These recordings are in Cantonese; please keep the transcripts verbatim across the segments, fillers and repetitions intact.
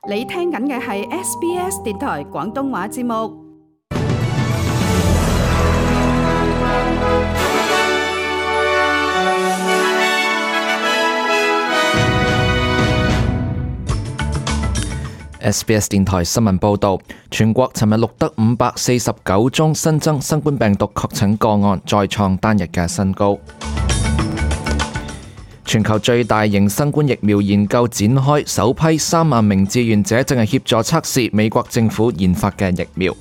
你聽緊嘅係 S B S 電台廣東話節目。S B S 電台新聞報導，全國尋日錄得五百四十九宗新增新冠病毒確診個案，再創單日嘅新高。全球最大型新冠疫苗研究展開，首批三萬名志願者正係協助測試美國政府研發嘅疫苗。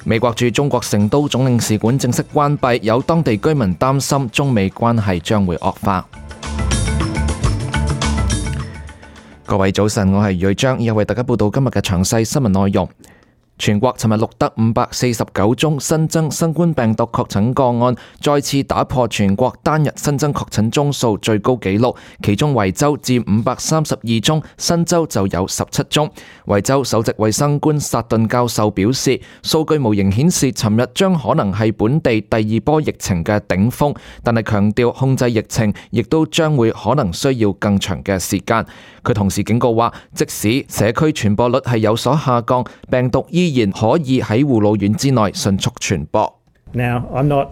美國駐中國成都總領事館正式關閉，有當地居民擔心中美關係將會惡化。各位早晨，我係余章，又為大家報道今日嘅詳細新聞內容。全國尋日錄得五百四十九宗新增新冠病毒確診個案，再次打破全國單日新增確診宗數最高紀錄。其中維州佔五百三十二宗，新州就有十七宗。維州首席衛生官薩頓教授表示，數據模型顯示尋日將可能係本地第二波疫情嘅頂峰，但係強調控制疫情亦都將會可能需要更長嘅時間。佢同時警告話，即使社區傳播率係有所下降，病毒依然可以喺護老院之內迅速傳播。Now, I'm not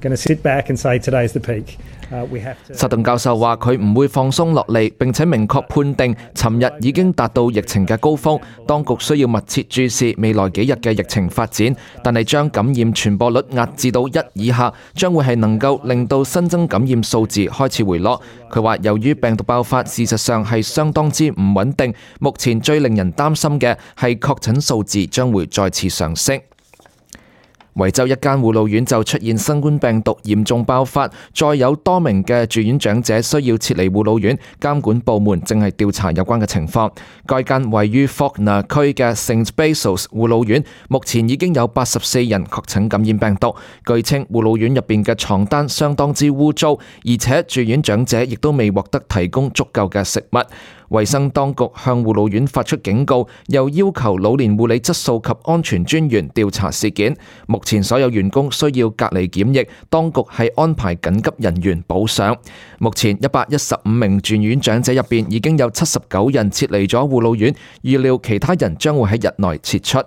going to sit back and say today's the peak. Uh, we have to... 薩頓教授話佢唔會放鬆落嚟，並且明確判定尋日已經達到疫情嘅高峰。當局需要密切注視未來幾日嘅疫情發展，但係將感染傳播率壓至到一以下，將會係能夠令到新增感染數字開始回落。佢話由於病毒爆發事實上係相當之唔穩定，目前最令人擔心嘅係確診數字將會再次上升。維州一間護老院就出現新冠病毒嚴重爆發，再有多名嘅住院長者需要撤離護老院，監管部門正係調查有關嘅情況。該間位於 Faulkner 區嘅 Saint Basil's 護老院目前已經有八十四人確診感染病毒。據稱護老院入邊嘅床單相當之污糟，而且住院長者亦都未獲得提供足夠嘅食物。衛生當局向護老院發出警告，又要求老年護理質素及安全專員調查事件。目前所有員工需要隔離檢疫，當局係安排緊急人員補上。目前一百一十五名住院長者入邊已經有七十九人撤離咗護老院，預料其他人將會喺日內撤出。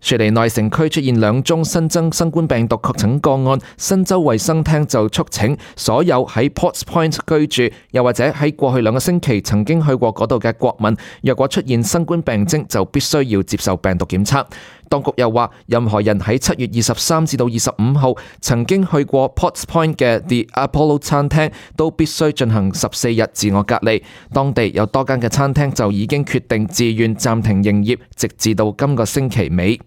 雪梨內城區出現兩宗新增新冠病毒確診個案，新州衛生廳就促請所有喺 Potts Point 居住，又或者喺過去兩個星期曾經去過嗰度嘅國民，若果出現新冠病徵，就必須要接受病毒檢測。當局又話，任何人喺七月二十三至到二十五號曾經去過 Potts Point 嘅 The Apollo 餐廳，都必須進行十四日自我隔離。當地有多間嘅餐廳就已經決定自願暫停營業，直至到今個星期尾。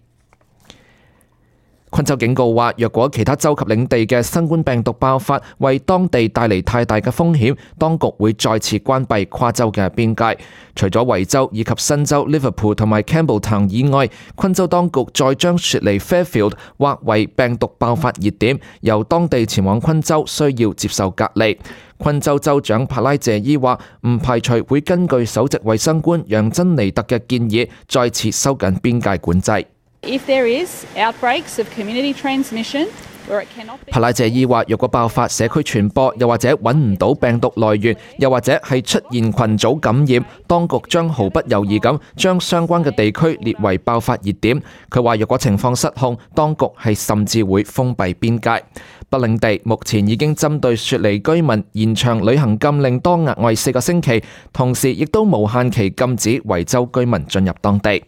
昆州警告話，若果其他州及領地嘅新冠病毒爆發為當地帶嚟太大嘅風險，當局會再次關閉跨州嘅邊界。除咗維州以及新州 Liverpool 同埋 Campbelltown 以外，昆州當局再將雪梨 Fairfield 劃為病毒爆發熱點，由當地前往昆州需要接受隔離。昆州州長帕拉謝伊話，唔排除會根據首席衛生官楊珍尼特嘅建議，再次收緊邊界管制。If there is outbreaks of community transmission, or it cannot be... 帕拉謝伊話，若果爆發社區傳播，又或者揾唔到病毒來源，又或者係出現群組感染，當局將毫不猶豫咁將相關嘅地區列為爆發熱點。佢話，若果情況失控，當局係甚至會封閉邊界。北領地目前已經針對雪梨居民延長旅行禁令多額外四個星期，同時亦都無限期禁止維州居民進入當地。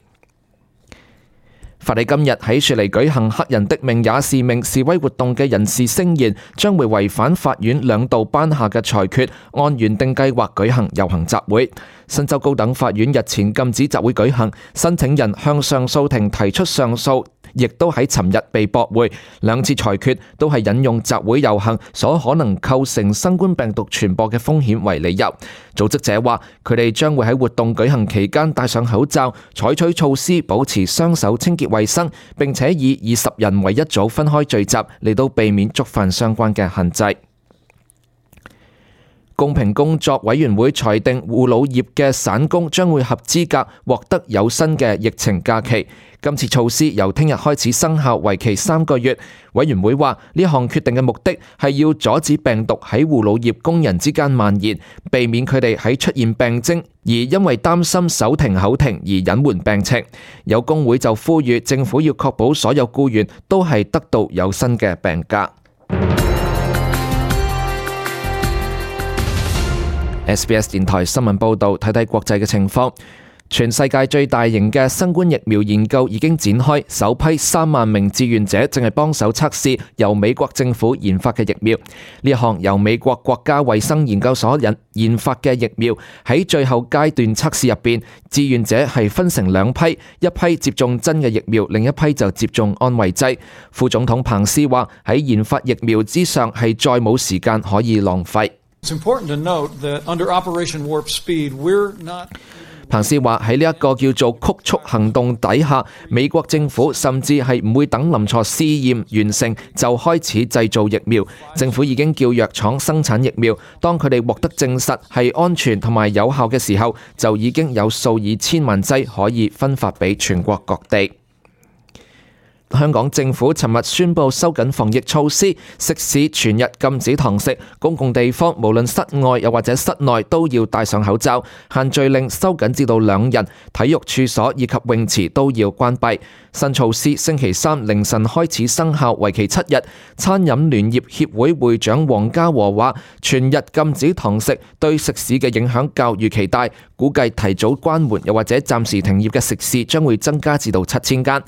法理今日喺雪梨舉行黑人的命也是命示威活動嘅人士聲言，將會違反法院兩度頒下嘅裁決，按原定計劃舉行遊行集會。新州高等法院日前禁止集會舉行，申請人向上訴庭提出上訴，亦都喺尋日被駁回。兩次裁決都係引用集會遊行所可能構成新冠病毒傳播嘅風險為理由。組織者話，佢哋將會喺活動舉行期間戴上口罩，採取措施保持雙手清潔衛生，並且以二十人為一組分開聚集，嚟到避免觸犯相關嘅限制。公平工作委員會裁定護老業嘅散工將會合資格獲得有薪嘅疫情假期。今次措施由聽日開始生效，為期三個月。委員會話呢項決定嘅目的係要阻止病毒喺護老業工人之間蔓延，避免佢哋喺出現病徵而因為擔心手停口停而隱瞞病情。有工會就呼籲政府要確保所有僱員都係得到有薪嘅病假。S B S 電台新聞報導，睇睇國際嘅情況。全世界最大型嘅新冠疫苗研究已經展開，首批三萬名志願者正係幫手測試由美國政府研發嘅疫苗。呢項由美國國家衛生研究所引研發嘅疫苗喺最後階段測試入邊，志願者係分成兩批，一批接種真嘅疫苗，另一批就接種安慰劑。副總統彭斯話：喺研發疫苗之上係再冇時間可以浪費。It's important to note that under Operation Warp Speed, we're not. 彭斯話喺呢一個叫做曲速行動底下，美國政府甚至係唔會等臨床試驗完成就開始製造疫苗。政府已經叫藥廠生產疫苗，當佢哋獲得證實係安全同埋有效嘅時候，就已經有數以千萬劑可以分發俾全國各地。香港政府尋日宣布收緊防疫措施，食肆全日禁止堂食，公共地方無論室外又或者室內都要戴上口罩，限聚令收緊至到兩人，體育處所以及泳池都要關閉。新措施星期三凌晨開始生效，為期七日。餐飲聯業協會會長黃家和話：全日禁止堂食對食肆嘅影響較預期大，估計提早關門又或者暫時停業嘅食肆將會增加至到七千間。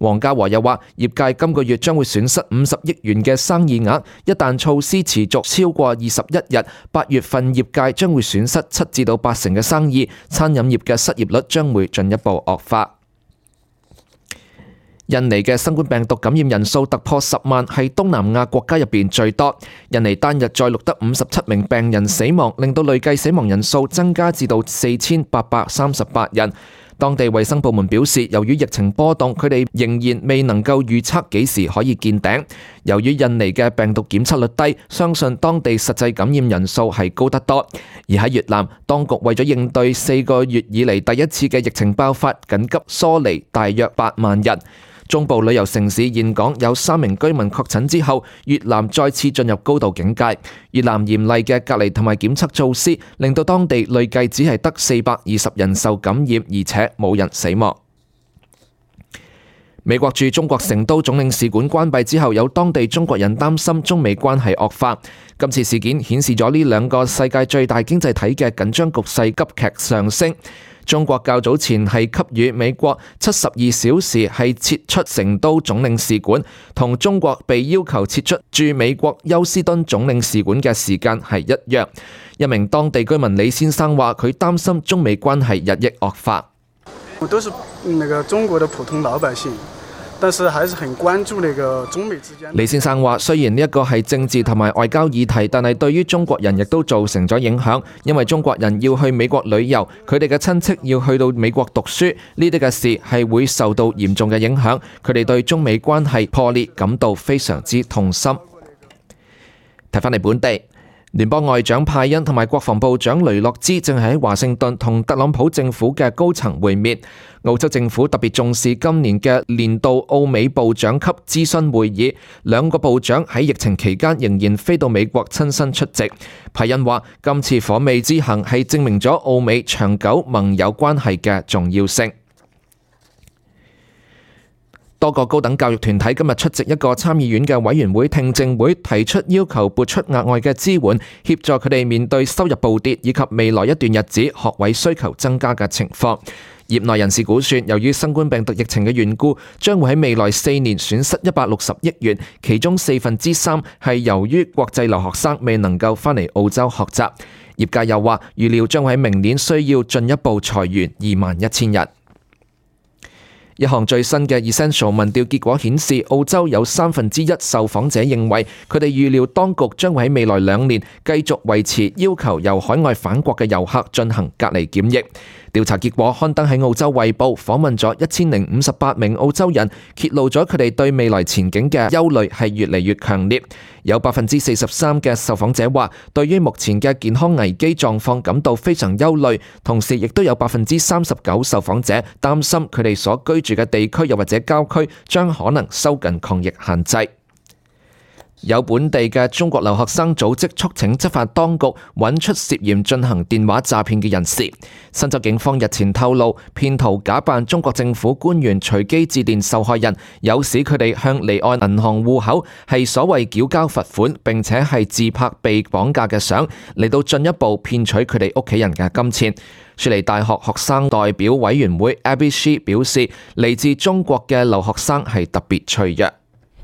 黃家和又話：業界今個月將會損失五十億元嘅生意額，一旦措施持續超過二十一日，八月份業界將會損失七至到八成嘅生意，餐飲業嘅失業率將會進一步惡化。印尼嘅新冠病毒感染人數突破十萬，係東南亞國家入邊最多。印尼單日再錄得五十七名病人死亡，令到累計死亡人數增加至到四千八百三十八人。當地衛生部門表示，由於疫情波動，佢哋仍然未能夠預測幾時可以見頂。由於印尼嘅病毒檢測率低，相信當地實際感染人數係高得多。而喺越南，當局為咗應對四個月以嚟第一次嘅疫情爆發，緊急疏離大約八萬人。中部旅遊城市峴港有三名居民確診之後，越南再次進入高度警戒。越南嚴厲嘅隔離同埋檢測措施，令到當地累計只係得四百二十人受感染，而且冇人死亡。美國駐中國成都總領事館關閉之後，有當地中國人擔心中美關係惡化。今次事件顯示咗呢兩個世界最大經濟體嘅緊張局勢急劇上升。中國較早前係給予美國七十二小時係撤出成都總領事館，同中國被要求撤出駐美國休斯敦總領事館嘅時間係一樣。一名當地居民李先生話：佢擔心中美關係日益惡化。我都是那個中國的普通老百姓，但是還是很關注那個中美之間。李先生話：雖然呢一個係政治同埋外交議題，但係對於中國人亦都造成咗影響，因為中國人要去美國旅遊，佢哋嘅親戚要去到美國讀書，呢啲嘅事係會受到嚴重嘅影響。佢哋對中美關係破裂感到非常之痛心。睇返嚟本地。聯邦外長派恩同埋國防部長雷諾茲正係喺華盛頓同特朗普政府嘅高層會面。澳洲政府特別重視今年嘅年度澳美部長級諮詢會議，兩個部長喺疫情期間仍然飛到美國親身出席。派恩話：今次訪美之行係證明咗澳美長久盟友關係嘅重要性。多個高等教育團體今日出席一個參議院嘅委員會聽證會，提出要求撥出額外嘅支援，協助佢哋面對收入暴跌以及未來一段日子學位需求增加嘅情況。業內人士估算，由於新冠病毒疫情嘅緣故，將會喺未來四年損失一百六十億元，其中四分之三係由於國際留學生未能夠返嚟澳洲學習。業界又話，預料將會喺明年需要進一步裁員二萬一千人。一項最新嘅 Essential 民調結果顯示，澳洲有三分之一受訪者認為佢哋預料當局將會喺未來兩年繼續維持要求由海外返國嘅遊客進行隔離檢疫。調查結果刊登喺澳洲衛報，訪問咗一千零五十八名澳洲人，揭露咗佢哋對未來前景嘅憂慮係越嚟越強烈。有百分之四十三嘅受訪者話，對於目前嘅健康危機狀況感到非常憂慮，同時亦都有百分之三十九受訪者擔心佢哋所居住嘅地區又或者郊區將可能收緊抗疫限制。有本地嘅中國留學生組織促請執法當局揾出涉嫌進行電話詐騙嘅人士。新州警方日前透露，騙徒假扮中國政府官員隨機致電受害人，誘使佢哋向離岸銀行戶口係所謂繳交罰款，並且係自拍被綁架嘅相，嚟到進一步騙取佢哋屋企人嘅金錢。雪梨大學學生代表委員會 Abby She 表示，嚟自中國嘅留學生係特別脆弱。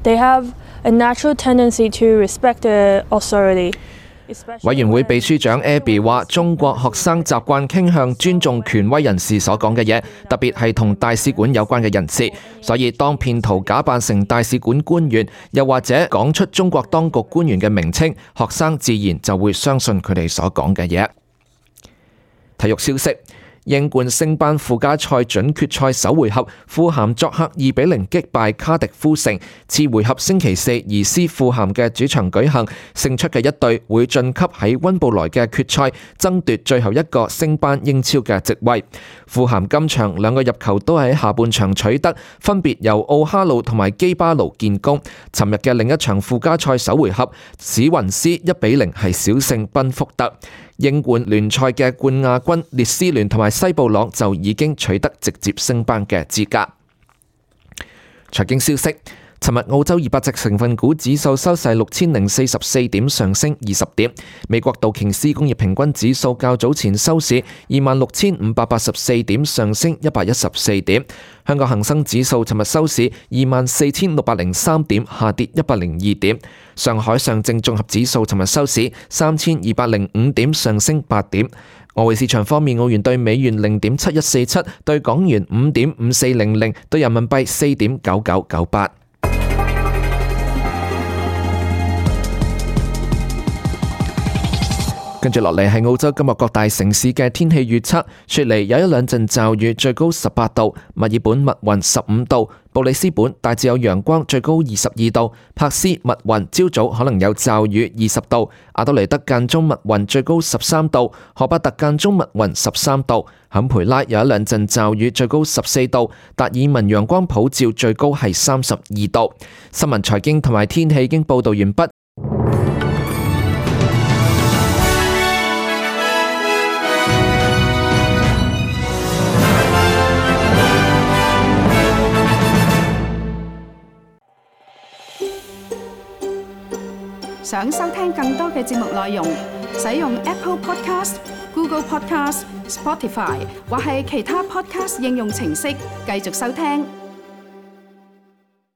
They have a natural tendency to respect the authority. 委員會秘書長 Abby 話：中國學生習慣傾向尊重權威人士所講嘅嘢，特別係同大使館有關嘅人士。所以當騙徒假扮成大使館官員，又或者講出中國當局官員嘅名稱，學生自然就會相信佢哋所講嘅嘢。體育消息。英冠升班附加賽準決賽首回合，富咸作客二比零擊敗卡迪夫城。次回合星期四移師富咸嘅主場舉行，勝出嘅一隊會晉級喺溫布萊嘅決賽，爭奪最後一個升班英超嘅席位。富咸今場兩個入球都喺下半場取得，分別由奧哈魯同埋基巴魯建功。尋日嘅另一場附加賽首回合，史雲斯一比零係小勝賓福特。英冠聯賽嘅冠亞軍列斯聯同埋西布朗就已經取得直接升班嘅資格。財經消息，尋日澳洲二百隻成分股指數收市六千零四十四點，上升二十點。美國道瓊斯工業平均指數較早前收市二萬六千五百八十四點，上升一百一十四點。香港恒生指數尋日收市二萬四千六百零三點，下跌一百零二點。上海上證綜合指數尋日收市三千二百零五點，上升八點。外匯市場方面，澳元對美元零點七一四七，對港元五點五四零零，對人民幣四點九九九八。跟住落嚟係澳洲今日各大城市嘅天氣預測。雪梨有一兩陣驟雨，最高十八度；墨爾本密雲十五度；布里斯本大致有陽光，最高二十二度；珀斯密雲，朝早可能有驟雨，二十度；阿德雷德間中密雲，最高十三度；荷伯特間中密雲，十三度；坎培拉有一兩陣驟雨，最高十四度；達爾文陽光普照，最高係三十二度。新聞財經同埋天氣已經報道完畢。想收聽更多嘅節目內容，使用 Apple Podcast、Google Podcast、Spotify 或係其他 Podcast 應用程式繼續收聽。